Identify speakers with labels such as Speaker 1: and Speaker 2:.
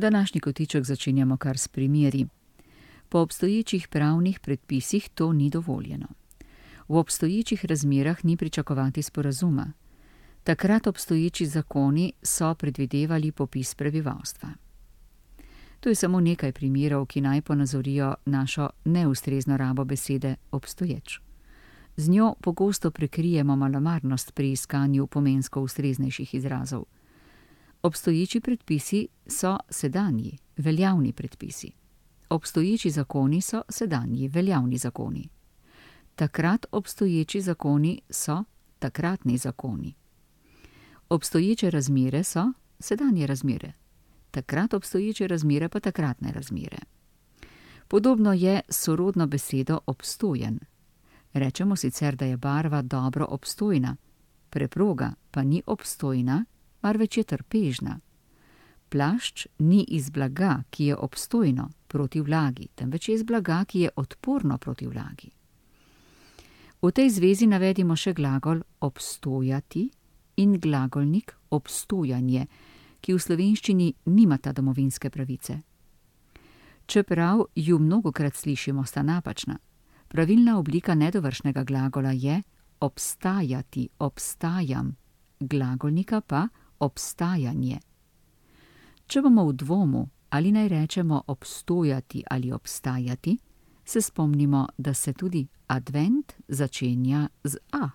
Speaker 1: Današnji kotiček začenjamo kar s primeri. Po obstoječih pravnih predpisih to ni dovoljeno. V obstoječih razmerah ni pričakovati sporazuma. Takrat obstoječi zakoni so predvidevali popis prebivalstva. To je samo nekaj primerov, ki naj ponazorijo našo neustrezno rabo besede obstoječ. Z njo pogosto prekrijemo malomarnost pri iskanju pomensko ustreznejših izrazov. Obstoječi predpisi so sedanji, veljavni predpisi. Obstoječi zakoni so sedanji, veljavni zakoni. Takrat obstoječi zakoni so takratni zakoni. Obstoječe razmere so sedanje razmere. Takrat obstoječe razmere pa takratne razmere. Podobno je s sorodno besedo obstojen. Rečemo sicer, da je barva dobro obstojna, preproga pa ni obstojna, marveč je trpežna. Plašč ni iz blaga, ki je obstojno proti vlagi, temveč je iz blaga, ki je odporno proti vlagi. V tej zvezi navedimo še glagol obstojati in glagolnik obstojanje, ki v slovenščini nimata domovinske pravice. Čeprav ju mnogokrat slišimo, sta napačna. Pravilna oblika nedovršnega glagola je obstajati, obstajam, glagolnika pa obstajanje. Če bomo v dvomu, ali naj rečemo obstojati ali obstajati, se spomnimo, da se tudi advent začenja z a.